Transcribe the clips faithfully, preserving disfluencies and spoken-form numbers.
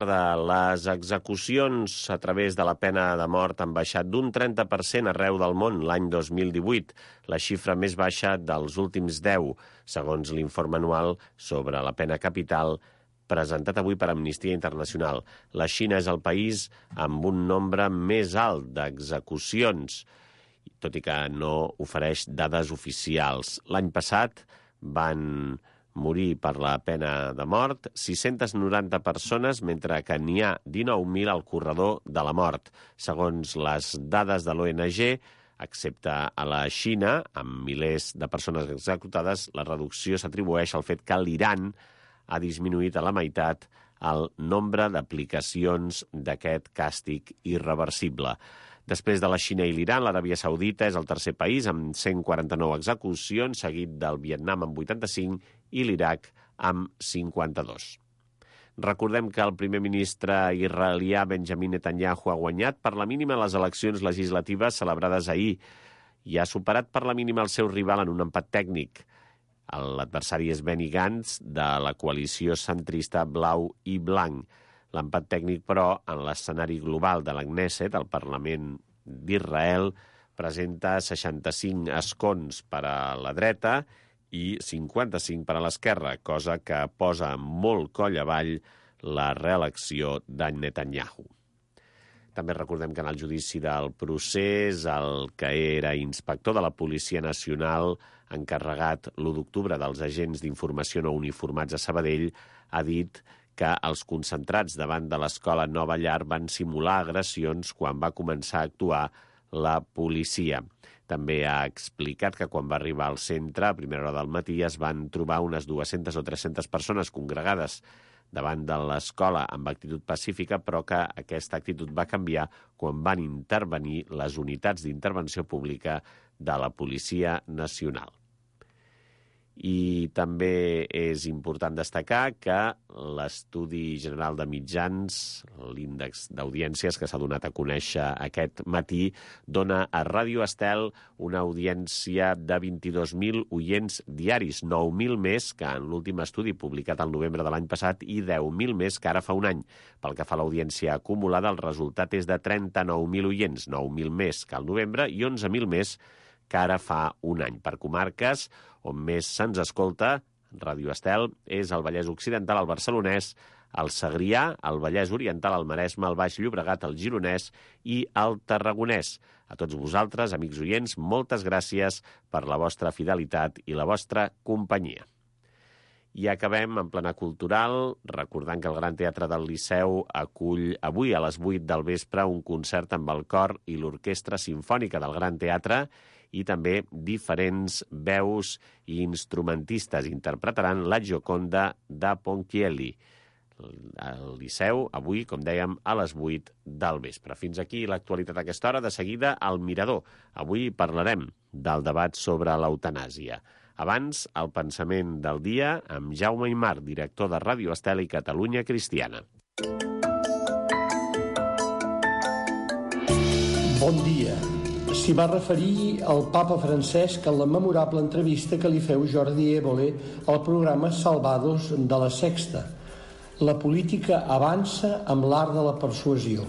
Les execucions a través de la pena de mort han baixat d'un trenta per cent arreu del món l'any dos mil divuit, la xifra més baixa dels últims deu, segons l'informe anual sobre la pena capital presentat avui per Amnistia Internacional. La Xina és el país amb un nombre més alt d'execucions, tot i que no ofereix dades oficials. L'any passat van morir per la pena de mort sis-centes noranta persones, mentre que n'hi ha dinou mil al corredor de la mort. Segons les dades de l'O N G, excepte a la Xina, amb milers de persones executades, la reducció s'atribueix al fet que l'Iran ha disminuït a la meitat el nombre d'aplicacions d'aquest càstig irreversible. Després de la Xina i l'Iran, l'Aràbia Saudita és el tercer país amb cent quaranta-nou execucions, seguit del Vietnam amb vuitanta-cinc i l'Iraq amb cinquanta-dos. Recordem que el primer ministre israelià Benjamin Netanyahu ha guanyat per la mínima les eleccions legislatives celebrades ahir i ha superat per la mínima el seu rival en un empat tècnic. L'adversari és Benny Gantz, de la coalició centrista blau i blanc. L'empat tècnic, però, en l'escenari global de la Knesset, el Parlament d'Israel, presenta seixanta-cinc escons per a la dreta i cinquanta-cinc per a l'esquerra, cosa que posa molt coll avall la reelecció de Netanyahu. També recordem que en el judici del procés, el que era inspector de la Policia Nacional, encarregat l'u d'octubre dels agents d'informació no uniformats a Sabadell, ha dit que els concentrats davant de l'escola Nova Llar van simular agressions quan va començar a actuar la policia. També ha explicat que quan va arribar al centre, a primera hora del matí, es van trobar unes dues-centes o tres-centes persones congregades davant de l'escola amb actitud pacífica, però que aquesta actitud va canviar quan van intervenir les unitats d'intervenció pública de la Policia Nacional. I també és important destacar que l'Estudi General de Mitjans, l'índex d'audiències que s'ha donat a conèixer aquest matí, dona a Ràdio Estel una audiència de vint-i-dos mil oients diaris, nou mil més que en l'últim estudi publicat al novembre de l'any passat i deu mil més que ara fa un any. Pel que fa a l'audiència acumulada, el resultat és de trenta-nou mil oients, nou mil més que al novembre i onze mil més que ara fa un any. Per comarques on més se'ns escolta, Ràdio Estel, és el Vallès Occidental, el Barcelonès, el Segrià, el Vallès Oriental, el Maresme, el Baix Llobregat, el Gironès i el Tarragonès. A tots vosaltres, amics oients, moltes gràcies per la vostra fidelitat i la vostra companyia. I acabem en plana cultural, recordant que el Gran Teatre del Liceu acull avui a les vuit del vespre un concert amb el cor i l'Orquestra Simfònica del Gran Teatre i també diferents veus i instrumentistes interpretaran la Gioconda de Ponchielli. El Liceu, avui, com dèiem, a les vuit del vespre. Fins aquí l'actualitat a aquesta hora. De seguida, al Mirador. Avui parlarem del debat sobre l'eutanàsia. Abans, el pensament del dia amb Jaume Aymar, director de Ràdio Estel i Catalunya Cristiana. Bon dia. S'hi va referir al papa Francesc en la memorable entrevista que li feu Jordi Évole al programa Salvados de la Sexta. La política avança amb l'art de la persuasió.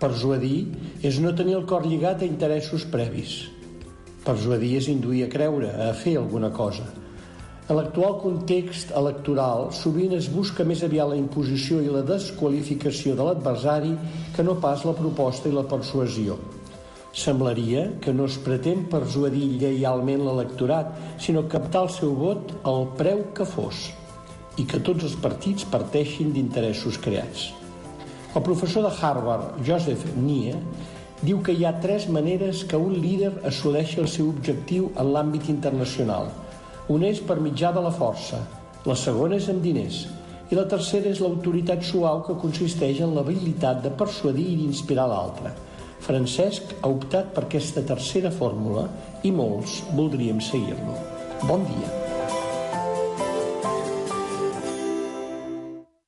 Persuadir és no tenir el cor lligat a interessos previs. Persuadir és induir a creure, a fer alguna cosa. En l'actual context electoral, sovint es busca més aviat la imposició i la desqualificació de l'adversari que no pas la proposta i la persuasió. Semblaria que no es pretén persuadir lleialment l'electorat, sinó captar el seu vot al preu que fos, i que tots els partits parteixin d'interessos creats. El professor de Harvard, Joseph Nye, diu que hi ha tres maneres que un líder assoleixi el seu objectiu en l'àmbit internacional. Una és per mitjà de la força, la segona és amb diners, i la tercera és l'autoritat suau que consisteix en l'habilitat de persuadir i d'inspirar l'altre. Francesc ha optat per aquesta tercera fórmula i molts voldríem seguir-lo. Bon dia.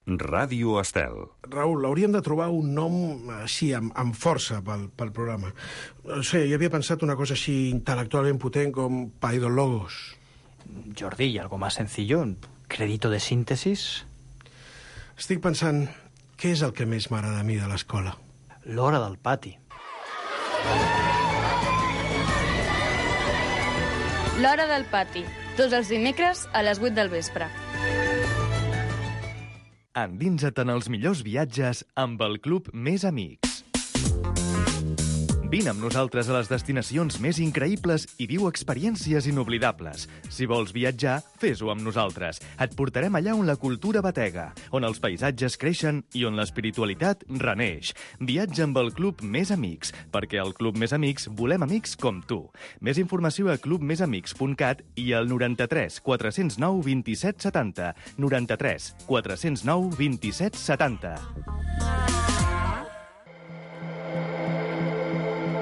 Ràdio Estel. Raül, hauríem de trobar un nom així, amb, amb força pel, pel programa. No sé, jo havia pensat una cosa així intel·lectualment potent com Paidologos. Jordi, ¿y algo más sencillo? ¿Crédito de síntesis? Estic pensant què és el que més m'agrada a mi de l'escola? L'hora del pati. L'hora del pati, tots els dimecres a les vuit del vespre. Endinsa't en els millors viatges amb el Club Més Amics. Vine amb nosaltres a les destinacions més increïbles i viu experiències inoblidables. Si vols viatjar, fes-ho amb nosaltres. Et portarem allà on la cultura batega, on els paisatges creixen i on l'espiritualitat reneix. Viatja amb el Club Més Amics, perquè al Club Més Amics volem amics com tu. Més informació a club més amics punt cat i al noranta-tres quatre zero nou vint-i-set setanta. noranta-tres quatre zero nou vint-i-set setanta.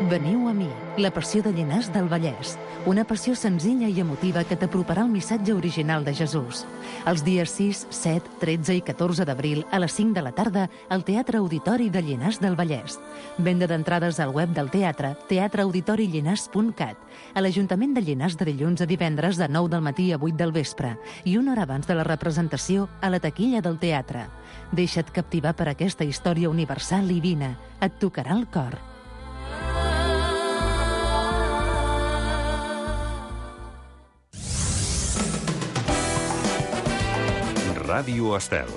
Veniu a mi, la passió de Llinars del Vallès. Una passió senzilla i emotiva que t'aproparà el missatge original de Jesús. Els dies sis, set, tretze i catorze d'abril a les cinc de la tarda al Teatre Auditori de Llinars del Vallès. Venda d'entrades al web del teatre, teatre auditori llinars punt cat. A l'Ajuntament de Llinars de dilluns a divendres de nou del matí a vuit del vespre i una hora abans de la representació a la taquilla del teatre. Deixa't captivar per aquesta història universal i vine. Et tocarà el cor. Ràdio Estel.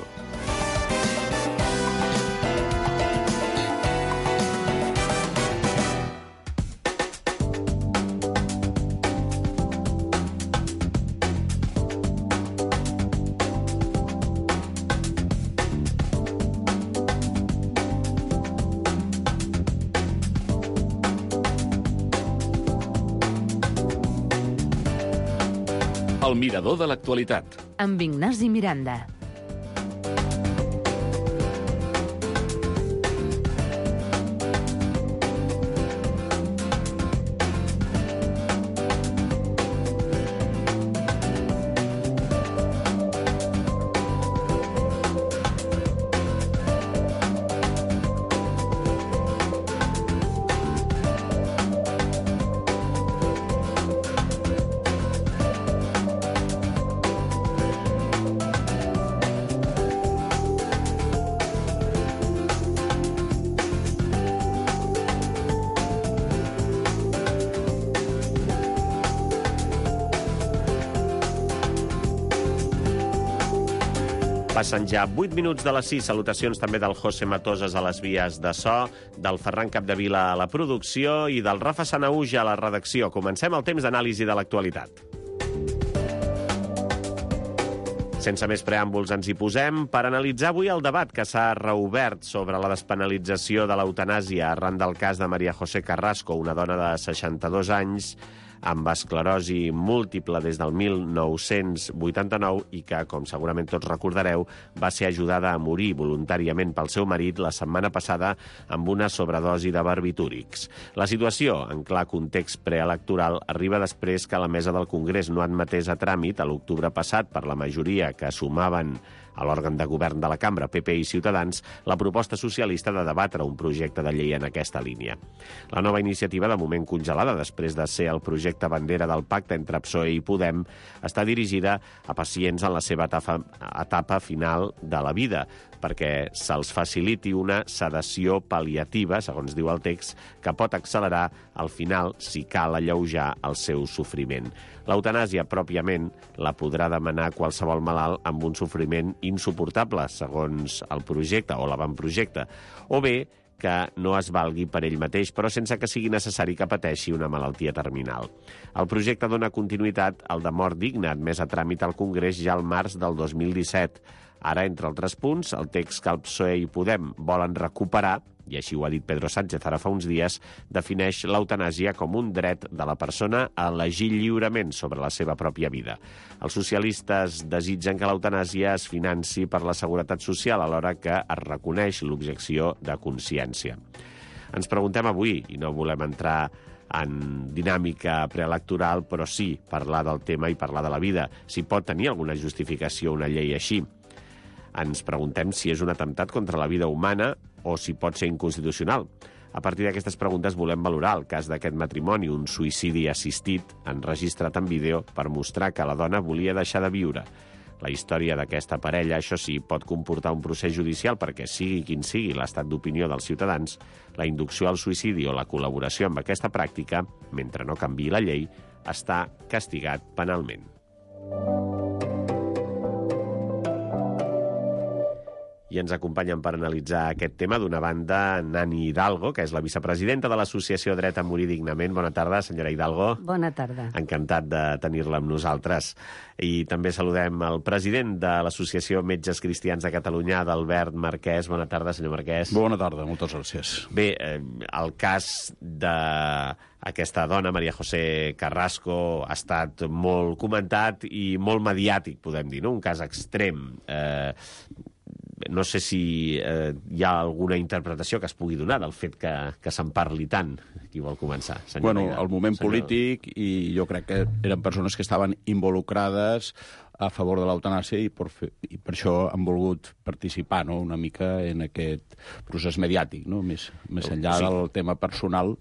El mirador de l'actualitat. Amb Ignasi Miranda. Passen ja vuit minuts de les sis. Salutacions també del José Matoses a les vies de so, del Ferran Capdevila a la producció i del Rafa Sanahuja a la redacció. Comencem el temps d'anàlisi de l'actualitat. Sense més preàmbuls ens hi posem per analitzar avui el debat que s'ha reobert sobre la despenalització de l'eutanàsia arran del cas de María José Carrasco, una dona de seixanta-dos anys amb esclerosi múltiple des del mil nou-cents vuitanta-nou i que, com segurament tots recordareu, va ser ajudada a morir voluntàriament pel seu marit la setmana passada amb una sobredosi de barbitúrics. La situació, en clar context preelectoral, arriba després que la mesa del Congrés no admetés a tràmit a l'octubre passat per la majoria que sumaven a l'òrgan de govern de la cambra, P P i Ciutadans, la proposta socialista de debatre un projecte de llei en aquesta línia. La nova iniciativa, de moment congelada després de ser el projecte bandera del pacte entre P S O E i Podem, està dirigida a pacients en la seva etapa, etapa final de la vida, perquè se'ls faciliti una sedació pal·liativa, segons diu el text, que pot accelerar al final si cal alleujar el seu sofriment. L'eutanàsia, pròpiament, la podrà demanar qualsevol malalt amb un sofriment insuportable, segons el projecte o l'avantprojecte, o bé que no es valgui per ell mateix, però sense que sigui necessari que pateixi una malaltia terminal. El projecte dona continuïtat al de mort digna, admès a tràmit al Congrés ja al març del dos mil disset. Ara, entre altres punts, el text que el P S O E i Podem volen recuperar, i així ho ha dit Pedro Sánchez ara fa uns dies, defineix l'eutanàsia com un dret de la persona a elegir lliurement sobre la seva pròpia vida. Els socialistes desitgen que l'eutanàsia es financi per la seguretat social, alhora que es reconeix l'objecció de consciència. Ens preguntem avui, i no volem entrar en dinàmica preelectoral, però sí parlar del tema i parlar de la vida, si pot tenir alguna justificació una llei així. Ens preguntem si és un atemptat contra la vida humana o si pot ser inconstitucional. A partir d'aquestes preguntes volem valorar el cas d'aquest matrimoni, un suïcidi assistit, enregistrat en vídeo per mostrar que la dona volia deixar de viure. La història d'aquesta parella, això sí, pot comportar un procés judicial perquè, sigui quin sigui l'estat d'opinió dels ciutadans, la inducció al suïcidi o la col·laboració amb aquesta pràctica, mentre no canviï la llei, està castigat penalment. I ens acompanyen per analitzar aquest tema, d'una banda, Nani Hidalgo, que és la vicepresidenta de l'Associació Dret a Morir Dignament. Bona tarda, senyora Hidalgo. Bona tarda. Encantat de tenir-la amb nosaltres. I també saludem el president de l'Associació Metges Cristians de Catalunya, d'Albert Marquès. Bona tarda, senyor Marquès. Bona tarda, moltes gràcies. Bé, eh, el cas d'aquesta dona, María José Carrasco, ha estat molt comentat i molt mediàtic, podem dir, no? Un cas extrem. Eh, No sé si eh, hi ha alguna interpretació que es pugui donar del fet que, que se'n parli tant. Qui vol començar? Bueno, el moment senyor... polític, i jo crec que eren persones que estaven involucrades a favor de l'eutanàsia i, per fer, i per això han volgut participar, no?, una mica en aquest procés mediàtic, no?, més, més enllà sí. del tema personal.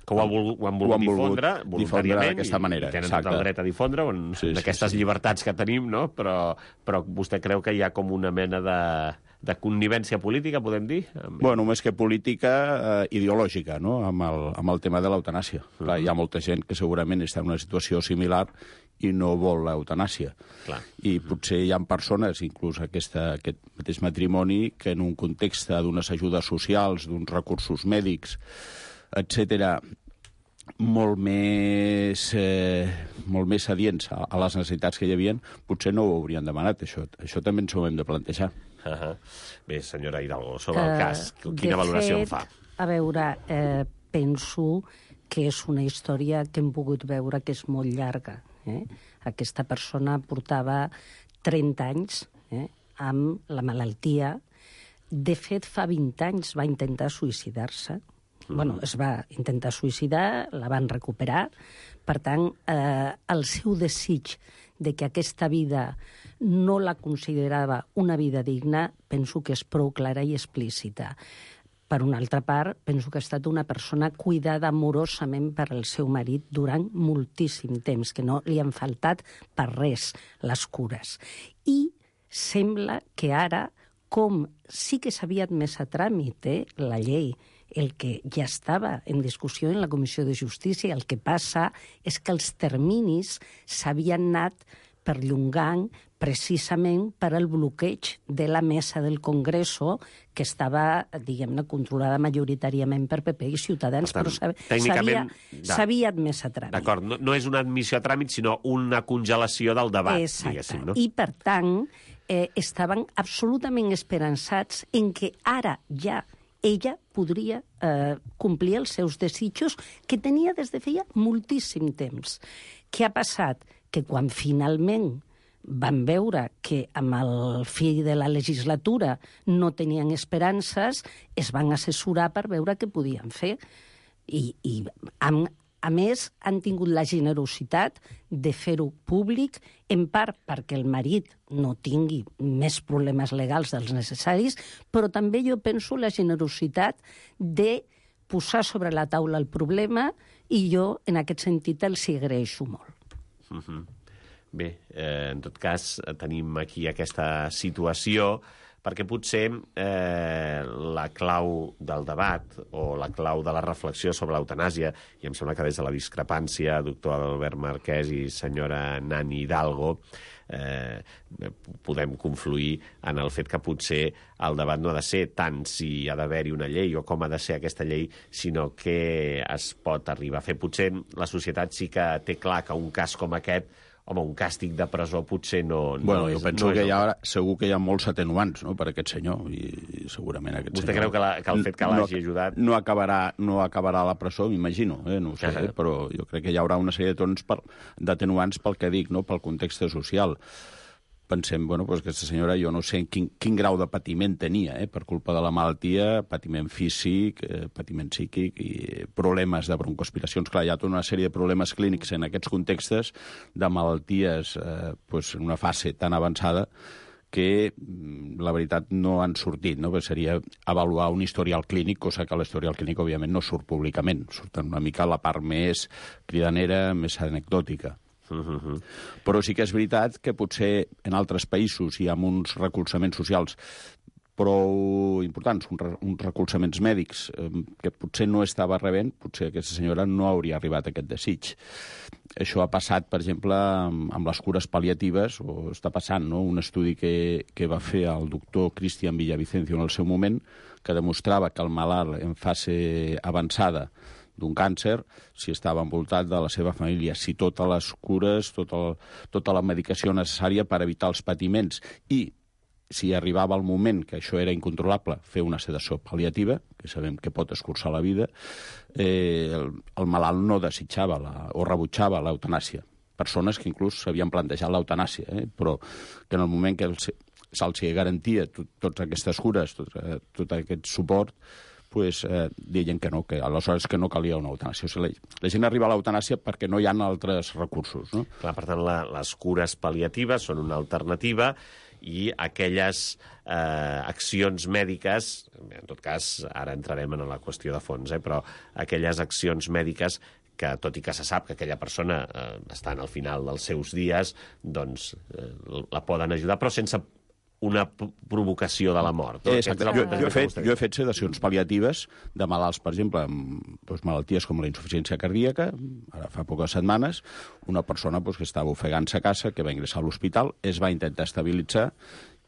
Que ho, ha volgut, ho han volgut, ho han volgut difondre voluntàriament d'aquesta manera. I tenen Exacte. tot el dret a difondre sí, d'aquestes sí, sí. llibertats que tenim, no? Però, però vostè creu que hi ha com una mena de, de connivència política, podem dir? Bueno, més que política, eh, ideològica, no?, amb el, amb el tema de l'eutanàsia. Uh-huh. Clar, hi ha molta gent que segurament està en una situació similar i no vol l'eutanàsia. Clar. I potser hi ha persones, inclús aquesta, aquest mateix matrimoni, que en un context d'unes ajudes socials, d'uns recursos mèdics, etcètera, molt més, eh, molt més adients a, a les necessitats que hi havia, potser no ho haurien demanat. Això, això també ens ho hem de plantejar. Uh -huh. Bé, senyora Hidalgo, sobre el cas, uh, quina valoració fet, en fa? A veure, eh, penso que és una història que hem pogut veure que és molt llarga. Eh? Aquesta persona portava trenta anys eh, amb la malaltia. De fet, fa vint anys va intentar suïcidar-se. Mm. Bueno, es va intentar suïcidar, la van recuperar. Per tant, eh, el seu desig de que aquesta vida no la considerava una vida digna, penso que és prou clara i explícita. Per una altra part, penso que ha estat una persona cuidada amorosament per el seu marit durant moltíssim temps, que no li han faltat per res les cures. I sembla que ara, com sí que s'havia admès a tràmit eh, la llei, el que ja estava en discussió en la Comissió de Justícia, el que passa és que els terminis s'havien anat perllongant precisament per al bloqueig de la mesa del Congreso, que estava, diguem-ne, controlada majoritàriament per P P i Ciutadans, tant, però tècnicament s'havia admès a tràmit. D'acord, no, no és una admissió a tràmit, sinó una congelació del debat, exacte. Diguéssim, no? I, per tant, eh, estaven absolutament esperançats en que ara ja ella podria eh, complir els seus desitjos que tenia des de feia moltíssim temps. Què ha passat? Que quan finalment van veure que amb el fi de la legislatura no tenien esperances, es van assessorar per veure què podien fer. I, i amb, a més, han tingut la generositat de fer-ho públic, en part perquè el marit no tingui més problemes legals dels necessaris, però també jo penso la generositat de posar sobre la taula el problema, i jo, en aquest sentit, els hi agraeixo molt. Uh-huh. Bé, eh, en tot cas, tenim aquí aquesta situació perquè potser eh, la clau del debat o la clau de la reflexió sobre l'eutanàsia, i em sembla que des de la discrepància, doctor Albert Marquès i senyora Nani Hidalgo, eh, podem confluir en el fet que potser el debat no ha de ser tant si ha d'haver-hi una llei o com ha de ser aquesta llei, sinó què es pot arribar a fer. Potser la societat sí que té clar que un cas com aquest, home, un càstig de presó potser no, no bueno, és... Jo penso no que és hi ha, segur que hi ha molts atenuants, no?, per aquest senyor, i, i segurament aquest Vostè senyor... creu que, la, que el fet que l'hagi no, ajudat... No acabarà, no acabarà a la presó, m'imagino, eh? No ho sé, uh-huh. eh? Però jo crec que hi haurà una sèrie d'atenuants pel que dic, no?, pel context social. Pensem, bueno, doncs aquesta senyora, jo no sé quin, quin grau de patiment tenia, eh, per culpa de la malaltia, patiment físic, eh, patiment psíquic i problemes de broncoaspiracions. Clar, hi ha tota una sèrie de problemes clínics en aquests contextos de malalties eh, pues, en una fase tan avançada que, la veritat, no han sortit, no? Perquè seria avaluar un historial clínic, cosa que l'historial clínic, òbviament, no surt públicament. Surt una mica la part més cridanera, més anecdòtica. Uh-huh. Però sí que és veritat que potser en altres països hi ha uns recolzaments socials prou importants, uns recolzaments mèdics eh, que potser no estava rebent, potser aquesta senyora no hauria arribat a aquest desig. Això ha passat, per exemple, amb, amb les cures pal·liatives, o està passant, no? Un estudi que, que va fer el doctor Cristian Villavicencio en el seu moment, que demostrava que el malalt en fase avançada d'un càncer, si estava envoltat de la seva família, si totes les cures, tota, el, tota la medicació necessària per evitar els patiments i si arribava el moment que això era incontrolable, fer una sedació pal·liativa, que sabem que pot escurçar la vida, eh, el, el malalt no desitjava la, o rebutjava l'eutanàsia. Persones que inclús s'havien plantejat l'eutanàsia, eh, però que en el moment que se'ls garantia tot, totes aquestes cures, tot, tot aquest suport, pues, eh, deien que no, que aleshores que no calia una eutanàsia. O sigui, la, la gent arriba a l'eutanàsia perquè no hi ha altres recursos. No? Clar, per tant, la, les cures pal·liatives són una alternativa i aquelles eh, accions mèdiques, en tot cas, ara entrarem en la qüestió de fons, eh, però aquelles accions mèdiques que, tot i que se sap que aquella persona eh, està al final dels seus dies, doncs eh, la poden ajudar, però sense una provocació de la mort. No? Exacte. Jo, jo, he fet, jo he fet sedacions pal·liatives de malalts, per exemple, amb doncs, malalties com la insuficiència cardíaca. Ara fa poques setmanes, una persona doncs, que estava ofegant-se a casa, que va ingressar a l'hospital, es va intentar estabilitzar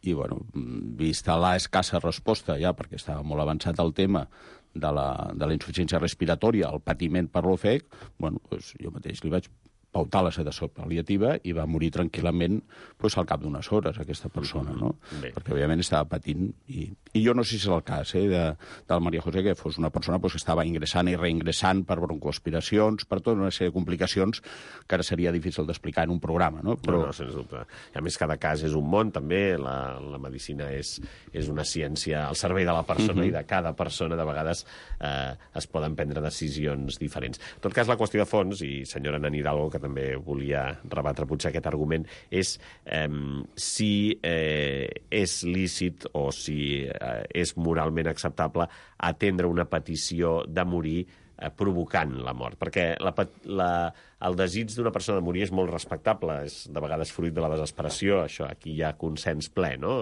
i, bueno, vista la escassa resposta, ja, perquè estava molt avançat el tema de la, de la insuficiència respiratòria, el patiment per l'ofec, bueno, doncs, jo mateix li vaig pautar la sedació pal·liativa i va morir tranquil·lament pues, al cap d'unes hores, aquesta persona, no? Bé. Perquè, òbviament, estava patint. I, i jo no sé si és el cas eh, de, del Maria José, que fos una persona pues, que estava ingressant i reingressant per broncoaspiracions, per tota una sèrie de complicacions que ara seria difícil d'explicar en un programa, no? Però... No, no, sens dubte. I a més, cada cas és un món, també. La, la medicina és, és una ciència al servei de la persona uh-huh. i de cada persona. De vegades eh, es poden prendre decisions diferents. En tot cas, la qüestió de fons, i senyora Nan Hidalgo, que també volia rebatre potser aquest argument, és eh, si eh, és lícit o si eh, és moralment acceptable atendre una petició de morir eh, provocant la mort. Perquè la, la, el desig d'una persona de morir és molt respectable, és de vegades fruit de la desesperació, això aquí hi ha consens ple, no?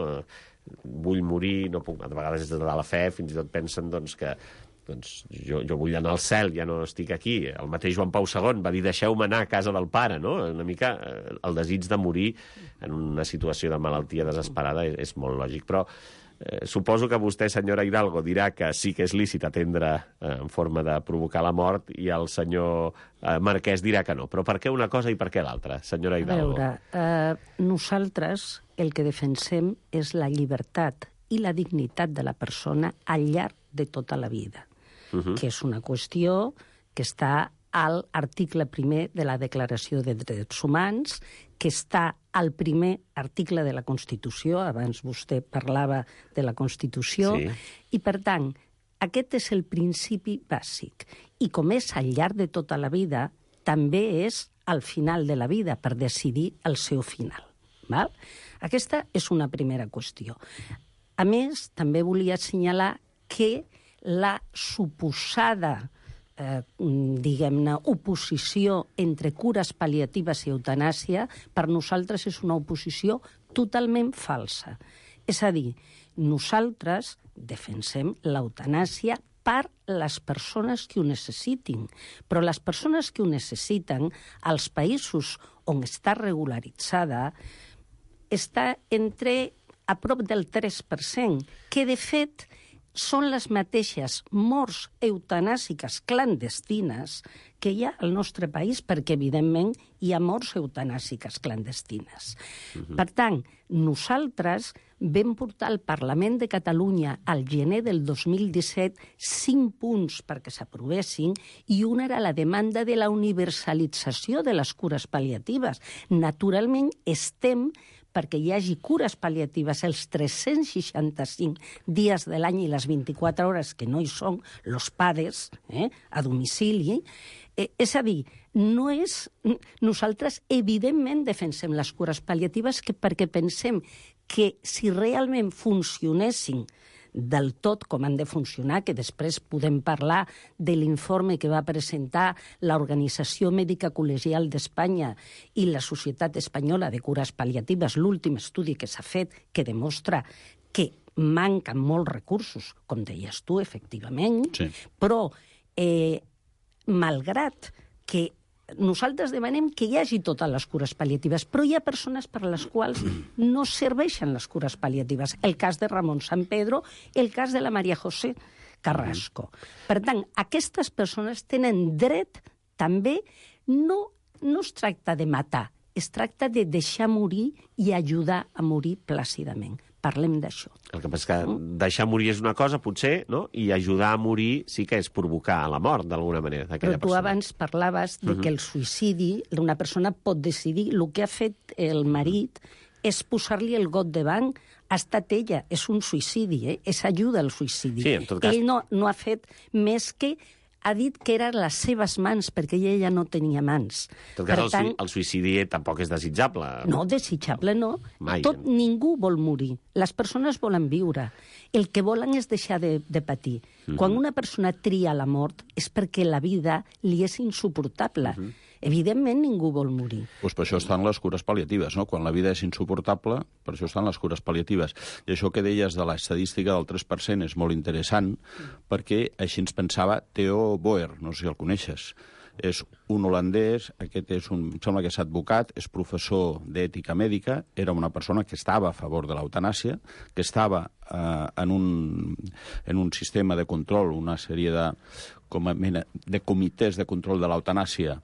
Vull morir, no puc, de vegades és de la fe, fins i tot pensen doncs, que doncs jo, jo vull anar al cel, ja no estic aquí. El mateix Joan Pau segon va dir deixeu-me anar a casa del pare, no? Una mica el desig de morir en una situació de malaltia desesperada és, és molt lògic, però eh, suposo que vostè, senyora Hidalgo, dirà que sí que és lícit atendre eh, en forma de provocar la mort i el senyor eh, Marquès dirà que no. Però per què una cosa i per què l'altra, senyora Hidalgo? A veure, eh, nosaltres el que defensem és la llibertat i la dignitat de la persona al llarg de tota la vida. Uh-huh. Que és una qüestió que està a l'article primer de la Declaració de Drets Humans, que està al primer article de la Constitució, abans vostè parlava de la Constitució, sí. I per tant, aquest és el principi bàsic. I com és al llarg de tota la vida, també és al final de la vida, per decidir el seu final. Val? Aquesta és una primera qüestió. A més, també volia assenyalar que la suposada, eh, diguem-ne, oposició entre cures pal·liatives i eutanàsia, per nosaltres és una oposició totalment falsa. És a dir, nosaltres defensem l'eutanàsia per les persones que ho necessitin, però les persones que ho necessiten, als països on està regularitzada, està entre a prop del tres per cent, que de fet són les mateixes morts eutanàsiques clandestines que hi ha al nostre país, perquè, evidentment, hi ha morts eutanàsiques clandestines. Uh-huh. Per tant, nosaltres vam portar al Parlament de Catalunya al gener del dos mil disset cinc punts perquè s'aprovessin i una era la demanda de la universalització de les cures pal·liatives. Naturalment, estem perquè hi hagi cures pal·liatives els tres-cents seixanta-cinc dies de l'any i les vint-i-quatre hores que no hi són, los PADES, eh, a domicili. Eh, és a dir, no és... Nosaltres, evidentment, defensem les cures pal·liatives que, perquè pensem que si realment funcionessin del tot com han de funcionar, que després podem parlar de l'informe que va presentar l'Organització Mèdica Col·legial d'Espanya i la Societat Espanyola de Cures Pal·liatives, l'últim estudi que s'ha fet, que demostra que manquen molts recursos, com deies tu, efectivament, sí. Però, eh, malgrat que nosaltres demanem que hi hagi totes les cures pal·liatives, però hi ha persones per a les quals no serveixen les cures pal·liatives. El cas de Ramon San Pedro, el cas de la María José Carrasco. Per tant, aquestes persones tenen dret també, no, no es tracta de matar, es tracta de deixar morir i ajudar a morir plàcidament. Parlem d'això. El que passa és que deixar morir és una cosa, potser, no? I ajudar a morir sí que és provocar la mort, d'alguna manera, d'aquella persona. Però tu abans parlaves de que el suïcidi, una persona pot decidir, el que ha fet el marit és posar-li el got de banc, ha estat ella, és un suïcidi, eh? És ajuda al suïcidi. Sí, en tot cas... Ell no, no ha fet més que ha dit que eren les seves mans, perquè ella no tenia mans. En tot cas, per tant, el suïcidi tampoc és desitjable. No, desitjable no. Mai. Tot, ningú vol morir. Les persones volen viure. El que volen és deixar de, de patir. Uh-huh. Quan una persona tria la mort és perquè la vida li és insuportable. Uh-huh. Evidentment, ningú vol morir. Pues per això estan les cures pal·liatives, no? Quan la vida és insuportable, per això estan les cures pal·liatives. I això que deies de l'estadística del tres per cent és molt interessant, perquè així ens pensava Theo Boer, no sé si el coneixes. És un holandès, aquest és un, em sembla que és advocat, és professor d'ètica mèdica, era una persona que estava a favor de l'eutanàsia, que estava eh, en, un, en un sistema de control, una sèrie de, com a mena, de comitès de control de l'eutanàsia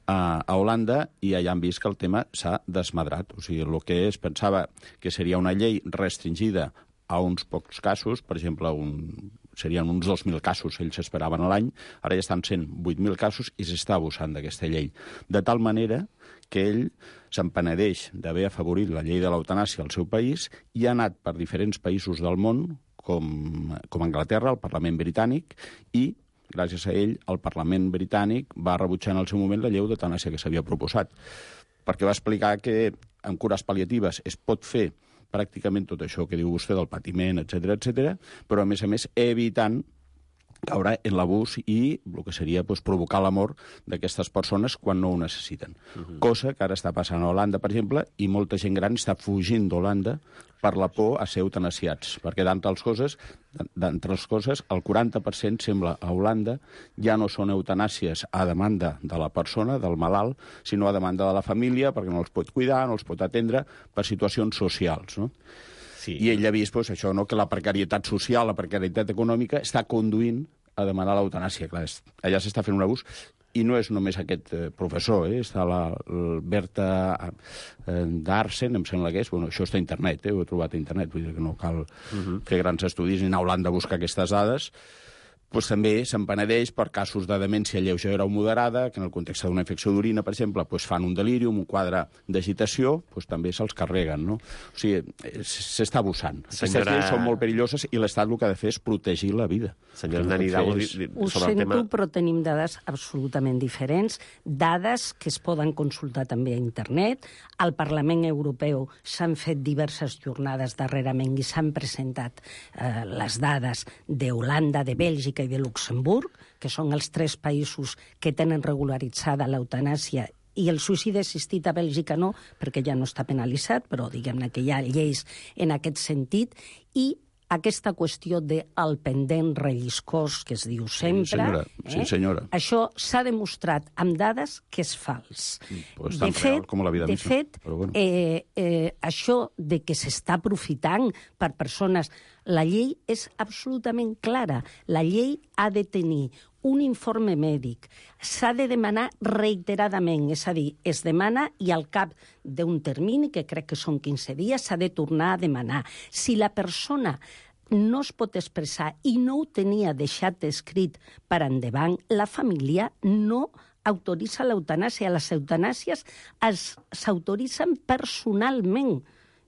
a Holanda, i allà han vist que el tema s'ha desmadrat. O sigui, el que es pensava que seria una llei restringida a uns pocs casos, per exemple, un, serien uns dos mil casos, ells esperaven a l'any, ara ja estan sent vuit mil casos i s'està abusant d'aquesta llei. De tal manera que ell se'n penedeix d'haver afavorit la llei de l'eutanàsia al seu país i ha anat per diferents països del món, com, com Anglaterra, el Parlament Britànic, i gràcies a ell, el Parlament Britànic va rebutjar en el seu moment la llei d'eutanàsia que s'havia proposat, perquè va explicar que amb cures pal·liatives es pot fer pràcticament tot això que diu vostè del patiment, etcètera, etcètera, però a més a més evitant caure en l'abús i el que seria pues, provocar la mort d'aquestes persones quan no ho necessiten. Uh-huh. Cosa que ara està passant a Holanda, per exemple, i molta gent gran està fugint d'Holanda per la por a ser eutanasiats, perquè d'entre les coses, d'entre les coses, el quaranta per cent sembla a Holanda ja no són eutanàsies a demanda de la persona, del malalt, sinó a demanda de la família, perquè no els pot cuidar, no els pot atendre per situacions socials, no? Sí. I ell ha vist pues, això, no? Que la precarietat social, la precarietat econòmica està conduint a demanar l'eutanàsia. Clar, allà s'està fent un abús. I no és només aquest eh, professor, eh? Està la, la Berta eh, Darsen, em sembla que és, bueno, això està a internet, eh? Ho he trobat a internet, vull dir que no cal uh-huh. fer grans estudis ni anar a Holanda a buscar aquestes dades. Pues també se'n penedeix per casos de demència lleugera o moderada, que en el context d'una infecció d'orina, per exemple, pues fan un delirium, un quadre d'agitació, pues també se'ls carreguen, no? O sigui, s'està abusant. Senyora... Aquestes lleis són molt perilloses i l'Estat el que ha de fer és protegir la vida. Senyora Dani Hidalgo, és... Ho sento, tema... però tenim dades absolutament diferents, dades que es poden consultar també a internet. Al Parlament Europeu s'han fet diverses jornades darrerament i s'han presentat eh, les dades d'Holanda, de Bèlgica i de Luxemburg, que són els tres països que tenen regularitzada l'eutanàsia, i el suïcidi assistit a Bèlgica no, perquè ja no està penalitzat, però diguem-ne que hi ha lleis en aquest sentit, i aquesta qüestió del pendent relliscós, que es diu sempre... Sí, senyora. Eh? Sí, senyora. Això s'ha demostrat amb dades que és fals. Pues tan de fet, real com la vida de misma. fet però bueno. eh, eh, això de que s'està aprofitant per persones... La llei és absolutament clara. La llei ha de tenir un informe mèdic. S'ha de demanar reiteradament, és a dir, es demana i al cap d'un termini, que crec que són quinze dies, s'ha de tornar a demanar. Si la persona no es pot expressar i no ho tenia deixat escrit per endavant, la família no autoritza l'eutanàsia. Les eutanàsies s'autoritzen personalment.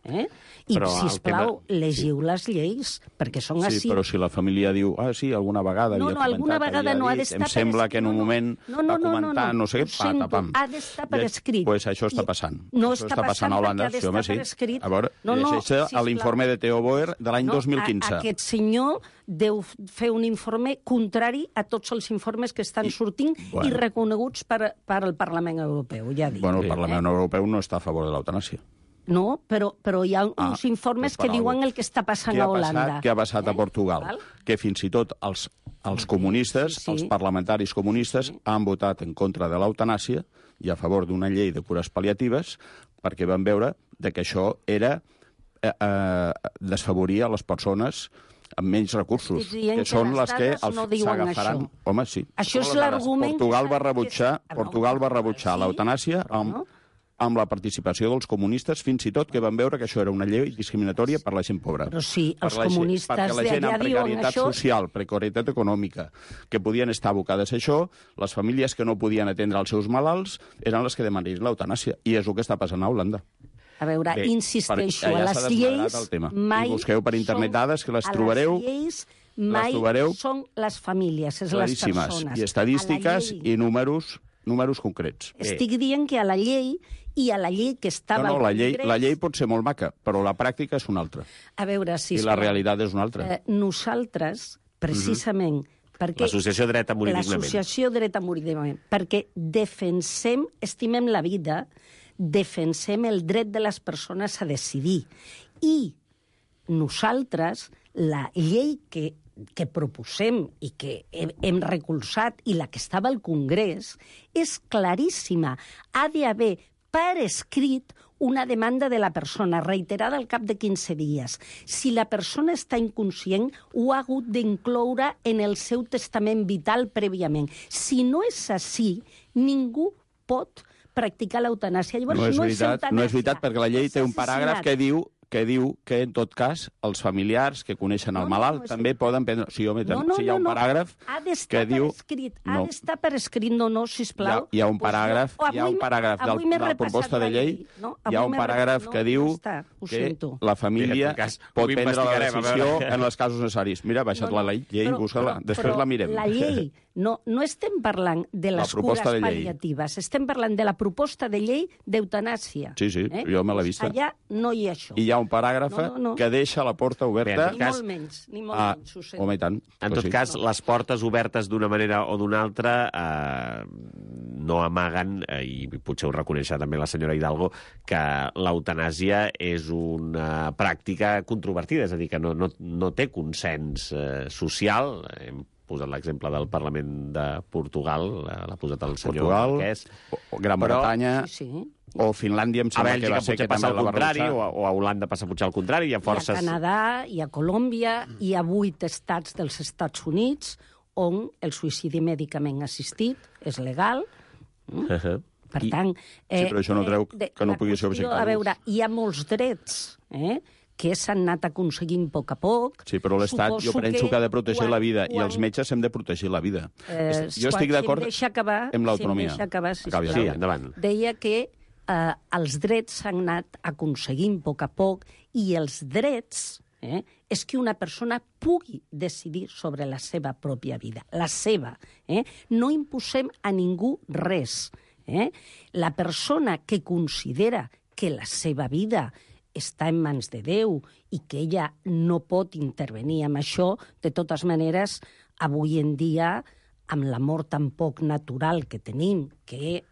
Eh? I, Però el sisplau, tema- llegiu les lleis, perquè són Sí, així. però si la família diu, ah, sí, alguna vegada No, havia no, alguna comentat, vegada havia no ha dit, d'estar em per sembla que en un escrit, no, no. moment No, no, va no, no, comentar, no. no sé què, Ho sento, patapam. ha d'estar per escrit. Doncs pues això està I passant. no això està està passant a passant Holanda. perquè ha Sí, home, d'estar sí. per escrit. A veure, No, no, llegeix sisplau. l'informe de Theo Boer de l'any No, dos mil quinze. a, aquest senyor deu fer un informe contrari a tots els informes que estan sortint I, bueno. i reconeguts per, per el Parlament Europeu, ja dic. Bueno, el eh? Parlament Europeu no està a favor de l'eutanàsia. No, però, però hi ha Ah, uns informes doncs que per diuen algú. el que està passant Què ha a Holanda. passat, què ha passat eh? a Portugal? Val? Que fins i tot els, els comunistes, sí, sí. els parlamentaris comunistes, sí. han votat en contra de l'eutanàsia i a favor d'una llei de cures pal·liatives perquè van veure de que això era eh, eh, desfavorir a les persones amb menys recursos, Estic dient que són que les les que dades els no diuen s'agafaran. això. Home, sí. Això és Són les dades. l'argument Portugal que va s'ha- rebutjar, que s'ha- Portugal va rebutjar Sí, l'eutanàsia però amb, no. amb la participació dels comunistes, fins i tot que van veure que això era una llei discriminatòria per la gent pobra. Però sí, Per els la gent- comunistes perquè la gent d'allà amb diuen precarietat això. social, precarietat econòmica, que podien estar abocades a això, les famílies que no podien atendre els seus malalts eren les que demanarien l'eutanàsia. I és el que està passant a Holanda. A veure, Bé, insisteixo, per- allà a s'ha les desmadrat lleis el tema. mai I busqueu per internet són- dades que les a trobareu- les lleis mai trobareu són les famílies, és les Claríssimes. persones. I estadístiques A la llei- i números, números concrets. Estic dient que a la llei i a la llei que estava No, no, al la llei, Congrés... la llei pot ser molt maca, però la pràctica és una altra. A veure, si I la realitat és una altra. Eh, nosaltres, precisament, mm-hmm. perquè... L'associació Dret a morir dignament. L'associació Dret a morir dignament. Perquè defensem, estimem la vida, defensem el dret de les persones a decidir. I nosaltres, la llei que, que proposem i que hem, hem recolzat i la que estava al Congrés és claríssima. Ha d'haver per escrit una demanda de la persona, reiterada al cap de quinze dies. Si la persona està inconscient, ho ha hagut d'incloure en el seu testament vital prèviament. Si no és així, ningú pot practicar l'eutanàsia. Llavors, No és, no veritat, és no és veritat, perquè la llei és té un paràgraf assassinat. que diu que diu que, en tot cas, els familiars que coneixen No, el no, malalt no, és també veritat. poden prendre... Sí, home, No, no, si hi ha un no, no. paràgraf Ha d'estar que diu... per escrit, ha No. d'estar per escrit, no, no, sisplau. Hi ha, hi ha un Pues paràgraf, jo- hi ha un avui- paràgraf del, avui m'he de la repassat proposta de la llei, no? hi ha Avui un m'he paràgraf repassat- que no, diu ja està, ho que sento. la família En tot cas, pot ho prendre la investigarem, a decisió veure. en els casos necessaris. Mira, ha baixat No, no, la llei, però- busca-la, però- després però la mirem. La llei, no, no estem parlant de La les proposta cures de llei. pal·liatives, estem parlant de la proposta de llei d'eutanàsia. Sí, sí, jo me l'he vista. Allà no hi ha això. I hi ha un paràgraf No, no, no. que deixa la porta oberta... Bé, Ni cas- molt menys, ni molt Ah, menys, ho sento. home, i tant. En Pues tot sí. cas, les portes obertes d'una manera o d'una altra eh, no amaguen, eh, i potser ho reconeixerà també la senyora Hidalgo, que l'eutanàsia és una pràctica controvertida, és a dir, que no, no, no té consens eh, social. Hem posat l'exemple del Parlament de Portugal, l'ha posat el senyor Portugal, Marquès. o- o Gran Però- Bretanya, Sí, sí. o Finlàndia, em A sembla que Bèlgica va ser potser que passa també al la va contrari, rebutjar. o a, o a Holanda passa potser al contrari. Hi ha Hi ha forces... Canadà, hi ha Colòmbia, hi ha vuit estats dels Estats Units on el suïcidi mèdicament assistit és legal. Uh -huh. Per I- tant... Sí, però això no treu de- que no la pugui ser qüestió, objecte A d'ús. veure, hi ha molts drets eh, que s'han anat aconseguint a poc a poc. Sí, però l'Estat jo Suposo penso que ha de protegir quan- la vida i quan- els metges hem de protegir la vida. Eh, jo estic d'acord si em deixa acabar, amb l'autonomia. Si em deixa acabar, Acabi, sisplau. Sí, endavant. Deia que eh, els drets s'han anat aconseguint a poc a poc i els drets eh, és que una persona pugui decidir sobre la seva pròpia vida, la seva. Eh? No imposem a ningú res. Eh? La persona que considera que la seva vida està en mans de Déu i que ella no pot intervenir amb això, de totes maneres, avui en dia, amb la mort tan poc natural que tenim, que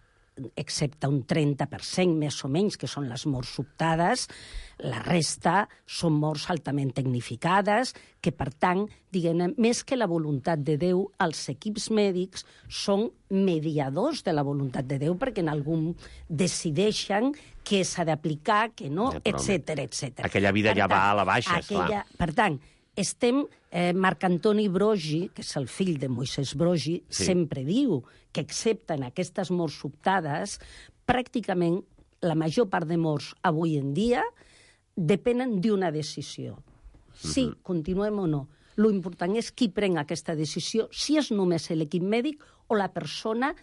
excepte un trenta per cent més o menys, que són les morts sobtades, la resta són morts altament tecnificades, que per tant, diguem, més que la voluntat de Déu, els equips mèdics són mediadors de la voluntat de Déu, perquè en algun decideixen què s'ha d'aplicar, què no, Ja, però, etcètera, etcètera. aquella vida Per ja tant, va a la baixa, aquella, esclar. Per tant, estem... Eh, Marc Antoni Brogi, que és el fill de Moisès Brogi, Sí. sí. sempre diu que excepte en aquestes morts sobtades, pràcticament la major part de morts avui en dia depenen d'una decisió. Sí, Mhm. continuem o no. Lo important és qui pren aquesta decisió, si és només l'equip mèdic o la persona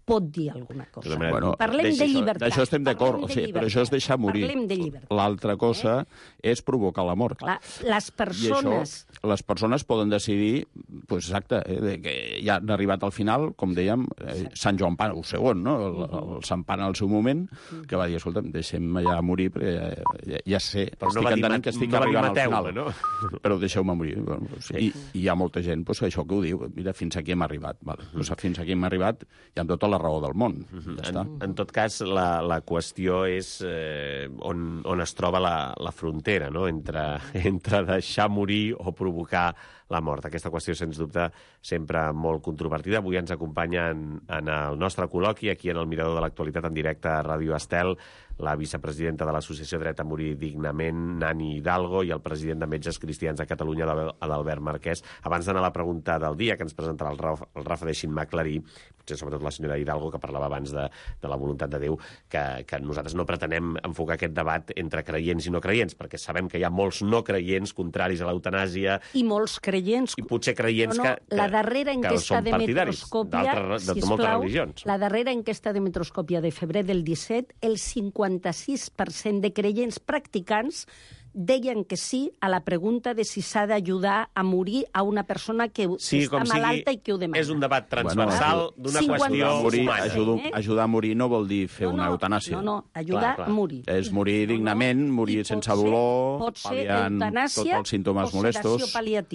pot dir alguna cosa. Bueno, Parlem de llibertat. D'això estem d'acord, o sigui, però això és deixar morir. Parlem de llibertat. L'altra cosa eh? és provocar la mort. Clar, les persones... I això, les persones poden decidir, pues, exacte, eh, que ja han arribat al final, com dèiem, eh, Sant Joan Pau segon, no? el, el Sant Pare al seu moment, que va dir, escolta'm, deixem ja morir, perquè ja, ja, ja sé, però estic no entenent que estic no arribant al final, no? Però deixeu-me morir. Bueno, pues, sí. I, I hi ha molta gent pues, això que ho diu, mira, fins aquí hem arribat. Vale. Pues, fins aquí hem arribat i amb tota la raó del món. Uh-huh. Ja en, en tot cas, la, la qüestió és eh, on, on es troba la, la frontera, no? entre, entre deixar morir o provocar la mort. Aquesta qüestió, sens dubte, sempre molt controvertida. Avui ens acompanya en, en el nostre col·loqui, aquí en el Mirador de l'Actualitat, en directe a Ràdio Estel, la vicepresidenta de l'Associació Dret a Morir Dignament, Nani Hidalgo, i el president de Metges Cristians de Catalunya, Adalbert Marquès. Abans d'anar a la pregunta del dia, que ens presentarà el Rafa, el Rafa deixin-me aclarir, potser sobretot la senyora Hidalgo, que parlava abans de, de la voluntat de Déu, que, que nosaltres no pretenem enfocar aquest debat entre creients i no creients, perquè sabem que hi ha molts no creients contraris a l'eutanàsia. I molts creients... I potser creients no, no, que, que, la darrera enquesta que són de partidaris Metroscòpia, de, de moltes religions. La darrera enquesta de Metroscòpia de febrer del disset, el cinquanta-sis per cent de creients practicants deien que sí a la pregunta de si s'ha d'ajudar a morir a una persona que sí, està malalta i que ho demana. És un debat transversal bueno, d'una qüestió morir, humana. Ajudar, eh? ajudar a morir no vol dir fer no, no, una eutanàsia. No, no, ajudar clar, clar. a morir. És morir dignament, no, no. morir I sense dolor, pot ser eutanàsia tots els símptomes o molestos.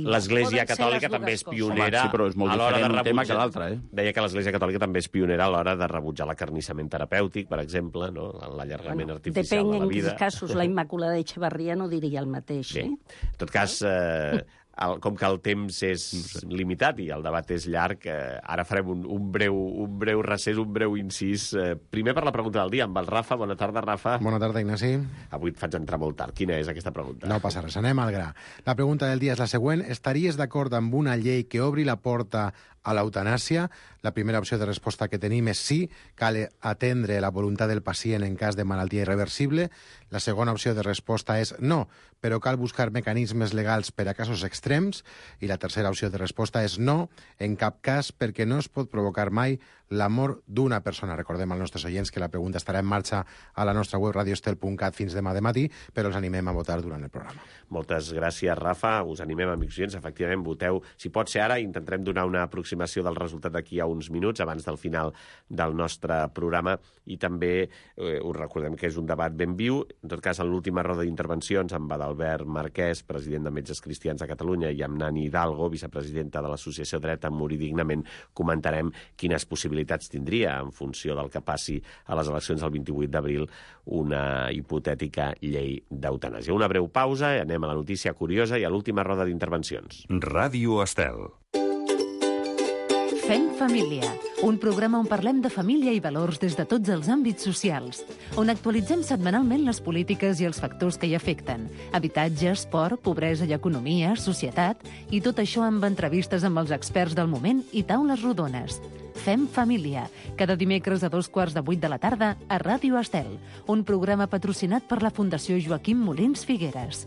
L'Església Catòlica també és pionera sí, però és molt a l'hora de rebutjar. Un tema que l'altre. Eh? Deia que l'Església Catòlica també és pionera a l'hora de rebutjar l'acarnissament terapèutic, per exemple, no? l'allargament bueno, artificial de la vida. Depèn en quins casos. La Immaculada Echevarria no diria el mateix. Sí. En tot cas, eh, el, com que el temps és limitat i el debat és llarg, eh, ara farem un, un, breu, un breu recés, un breu incís. Eh, primer per la pregunta del dia, amb el Rafa. Bona tarda, Rafa. Bona tarda, Ignasi. Avui et faig entrar molt tard. Quina és aquesta pregunta? No passa res, anem al gra. La pregunta del dia és la següent. Estaries d'acord amb una llei que obri la porta a l'eutanàsia? La primera opció de resposta que tenim és sí, cal atendre la voluntat del pacient en cas de malaltia irreversible. La segona opció de resposta és no, però cal buscar mecanismes legals per a casos extrems. I la tercera opció de resposta és no, en cap cas, perquè no es pot provocar mai la mort d'una persona. Recordem als nostres oients que la pregunta estarà en marxa a la nostra web radioestel punt cat fins demà de matí, però els animem a votar durant el programa. Moltes gràcies, Rafa. Us animem, amics oients. Efectivament, voteu. Si pot ser ara, intentarem donar una aproximació del resultat d'aquí a uns minuts, abans del final del nostre programa, i també eh, us recordem que és un debat ben viu. En tot cas, en l'última roda d'intervencions amb Adalbert Marquès, president de Metges Cristians de Catalunya, i amb Nani Hidalgo, vicepresidenta de l'Associació Dret a Morir Dignament, comentarem quines possibilitats tindria, en funció del que passi a les eleccions del vint-i-vuit d'abril, una hipotètica llei d'eutanàsia. Una breu pausa i anem a la notícia curiosa i a l'última roda d'intervencions. Ràdio Estel. Fem família, un programa on parlem de família i valors des de tots els àmbits socials, on actualitzem setmanalment les polítiques i els factors que hi afecten, habitatge, esport, pobresa i economia, societat, i tot això amb entrevistes amb els experts del moment i taules rodones. Fem família, cada dimecres a dos quarts de vuit de la tarda a Ràdio Estel, un programa patrocinat per la Fundació Joaquim Molins Figueres.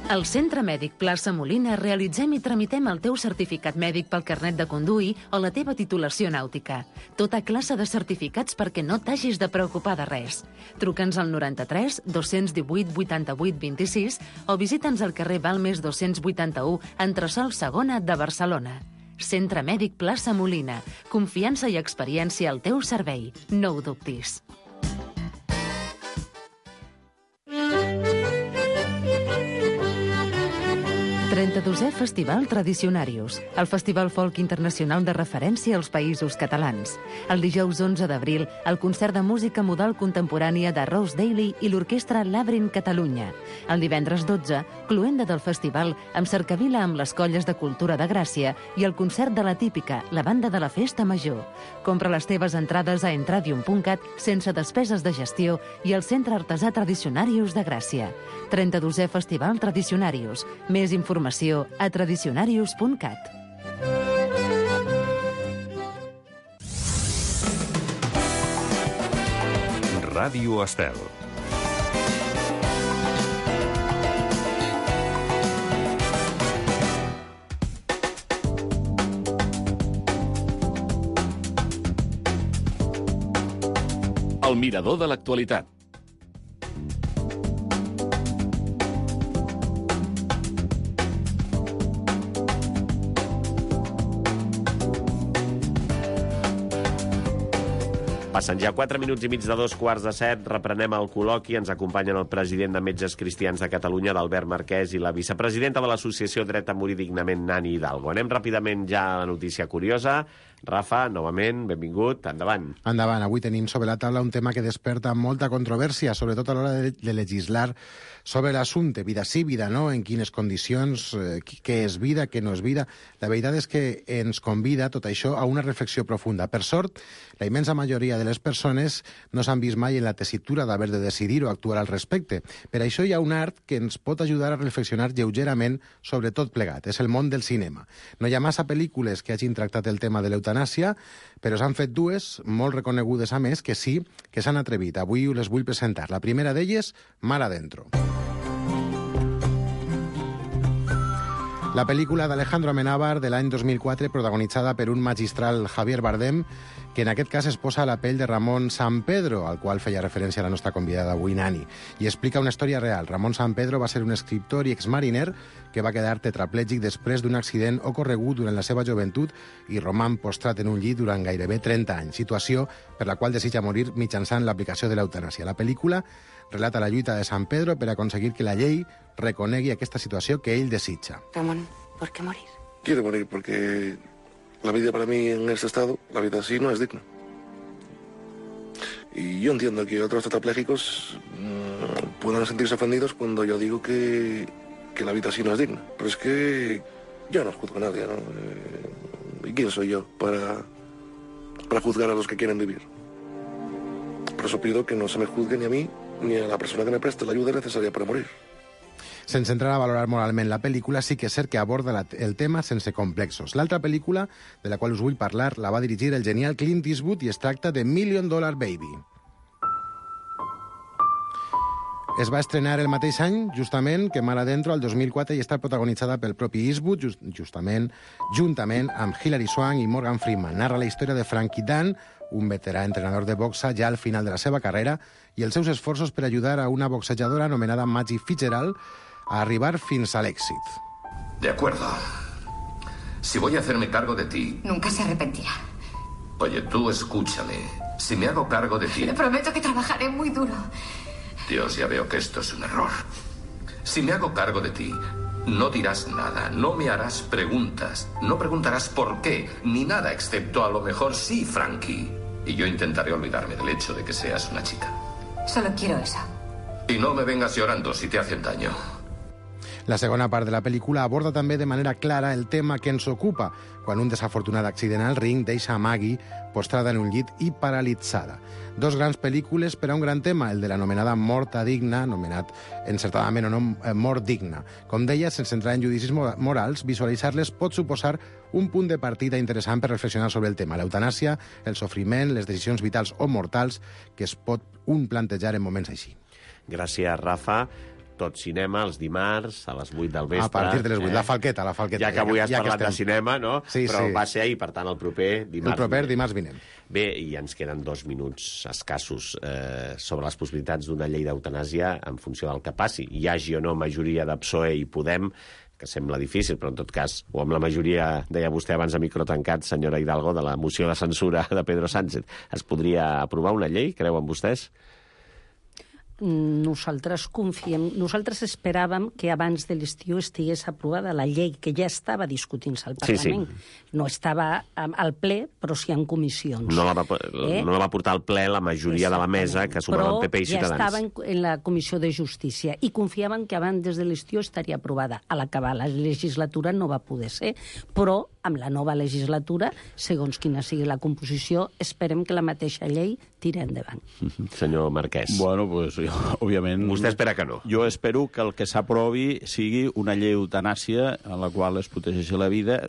Al Centre Mèdic Plaça Molina realitzem i tramitem el teu certificat mèdic pel carnet de conduir o la teva titulació nàutica. Tota classe de certificats perquè no t'hagis de preocupar de res. Truca'ns al noranta-tres dos-cents divuit vuitanta-vuit vint-i-sis o visita'ns al carrer Balmes dos-cents vuitanta-u, entresòl segona de Barcelona. Centre Mèdic Plaça Molina. Confiança i experiència al teu servei. No ho dubtis. trenta-dosè Festival Tradicionarius, el festival folk internacional de referència als països catalans. El dijous onze d'abril, el concert de música modal contemporània de Rose Daly i l'orquestra Labyrinth Catalunya. El divendres dotze, cloenda del festival, amb cercavila amb les colles de cultura de Gràcia i el concert de la Típica, la banda de la Festa Major. Compra les teves entrades a entradium punt cat sense despeses de gestió i al Centre Artesà Tradicionarius de Gràcia. trenta-dosè Festival Tradicionarius. Més informació a tradicionarius punt cat. Ràdio Estel. El mirador de l'actualitat. Passen ja quatre minuts i mig de dos quarts de set, reprenem el col·loqui, ens acompanyen el president de Metges Cristians de Catalunya, l'Albert Marquès, i la vicepresidenta de l'associació Dret a Morir Dignament, Nani Hidalgo. Anem ràpidament ja a la notícia curiosa. Rafa, novament, benvingut, endavant. Endavant, avui tenim sobre la taula un tema que desperta molta controvèrsia, sobretot a l'hora de, de legislar sobre l'assumpte, vida sí, vida no, en quines condicions, eh, què és vida, què no és vida. La veritat és que ens convida tot això a una reflexió profunda. Per sort, la immensa majoria de les persones no s'han vist mai en la tessitura d'haver de decidir o actuar al respecte. Per això hi ha un art que ens pot ajudar a reflexionar lleugerament sobre tot plegat. És el món del cinema. No hi ha massa pel·lícules que hagin tractat el tema de l'eutanàsia, però s'han fet dues, molt reconegudes a més, que sí, que s'han atrevit. Avui les vull presentar. La primera d'elles, Mar Adentro. La pel·lícula d'Alejandro Amenábar de l'any dos mil quatre, protagonitzada per un magistral Javier Bardem, que en aquest cas es posa a la pell de Ramon Sampedro, al qual feia referència la nostra convidada avui, Nani, i explica una història real. Ramon Sampedro va ser un escriptor i exmariner que va quedar tetraplègic després d'un accident ocorregut durant la seva joventut i roman postrat en un llit durant gairebé trenta anys, situació per la qual desitja morir mitjançant l'aplicació de l'eutanàsia. La pel·lícula relata la lluita de San Pedro per aconseguir que la llei reconegui aquesta situació que ell desitja. Ramón, ¿por qué morir? Quiero morir porque la vida para mí en este estado, la vida así no es digna. Y yo entiendo que otros tetrapléjicos mmm, puedan sentirse ofendidos cuando yo digo que, que la vida así no es digna. Pero es que yo no juzgo a nadie, ¿no? Eh, ¿Y quién soy yo para, para juzgar a los que quieren vivir? Por eso pido que no se me juzgue ni a mí ni a la persona que me preste la ayuda necesaria para morir. Sense entrar a valorar moralment la pel·lícula, sí que és cert que aborda la, el tema sense complexos. L'altra pel·lícula, de la qual us vull parlar, la va dirigir el genial Clint Eastwood i es tracta de Million Dollar Baby. Es va estrenar el mateix any, justament, que Mar Adentro, el dos mil quatre, i està protagonitzada pel propi Eastwood, just, justament, juntament amb Hilary Swank i Morgan Freeman. Narra la història de Frankie Dunn, un veterà entrenador de boxa ja al final de la seva carrera, i els seus esforços per ajudar a una boxejadora anomenada Maggie Fitzgerald a arribar fins a l'èxit. De acuerdo. Si voy a hacerme cargo de ti... Nunca se arrepentirá. Oye, tú escúchame. Si me hago cargo de ti... Le prometo que trabajaré muy duro. Dios, ya veo que esto es un error. Si me hago cargo de ti, no dirás nada, no me harás preguntas, no preguntarás por qué, ni nada, excepto a lo mejor sí, Frankie. Y yo intentaré olvidarme del hecho de que seas una chica. Solo quiero eso. Y no me vengas llorando si te hacen daño. La segona part de la pel·lícula aborda també de manera clara el tema que ens ocupa, quan un desafortunat accident al ring deixa a Maggie postrada en un llit i paralitzada. Dos grans pel·lícules per a un gran tema, el de l'anomenada morta digna, anomenat encertadament o no mort digna. Com deia, sense entrar en judicis morals, visualitzar-les pot suposar un punt de partida interessant per reflexionar sobre el tema, l'eutanàsia, el sofriment, les decisions vitals o mortals que es pot un plantejar en moments així. Gràcies, Rafa. Tot cinema, els dimarts, a les vuit del vespre. A partir de les vuit, eh? la falqueta, la falqueta. Ja que avui has ja, ja parlat de cinema, no? Sí, però sí. va ser ahir, per tant, el proper dimarts. El proper dimarts vinent. Bé, i ens queden dos minuts escassos eh, sobre les possibilitats d'una llei d'eutanàsia en funció del que passi. Hi hagi o no majoria de P S O E i Podem, que sembla difícil, però en tot cas, o amb la majoria, deia vostè abans a micro tancat, senyora Hidalgo, de la moció de censura de Pedro Sánchez, es podria aprovar una llei, creuen vostès? Nosaltres confiem, nosaltres esperàvem que abans de l'estiu estigués aprovada la llei que ja estava discutint-se al Parlament. Sí, sí. No estava al ple, però sí en comissions. No la va, eh? no la va portar al ple la majoria de la mesa, que sumaven P P i Ciutadans. Però ja estava en, en la Comissió de Justícia i confiaven que abans de l'estiu estaria aprovada. A l'acabar la legislatura no va poder ser, però amb la nova legislatura, segons quina sigui la composició, esperem que la mateixa llei tiri endavant. Senyor Marquès. Bueno, pues, jo, òbviament... Vostè espera que no. Jo espero que el que s'aprovi sigui una llei d'eutanàsia en la qual es protegeixi la vida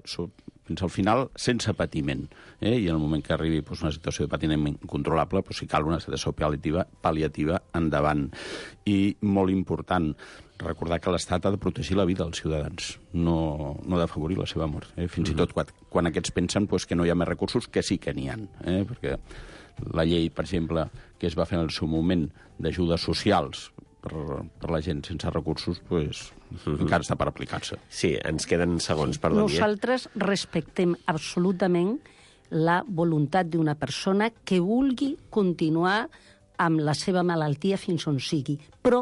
fins al final sense patiment. Eh? I en el moment que arribi pues, una situació de patiment incontrolable, pues, si cal una sedació pal·liativa, pal·liativa endavant. I molt important, recordar que l'Estat ha de protegir la vida dels ciutadans, no, no d'afavorir la seva mort. Eh? Fins mm-hmm. i tot quan, quan aquests pensen pues, que no hi ha més recursos, que sí que n'hi ha. Eh? Perquè la llei, per exemple, que es va fer en el seu moment d'ajudes socials per, per la gent sense recursos, pues, mm-hmm. encara està per aplicar-se. Sí, ens queden segons, perdoni. Nosaltres respectem absolutament la voluntat d'una persona que vulgui continuar amb la seva malaltia fins on sigui, però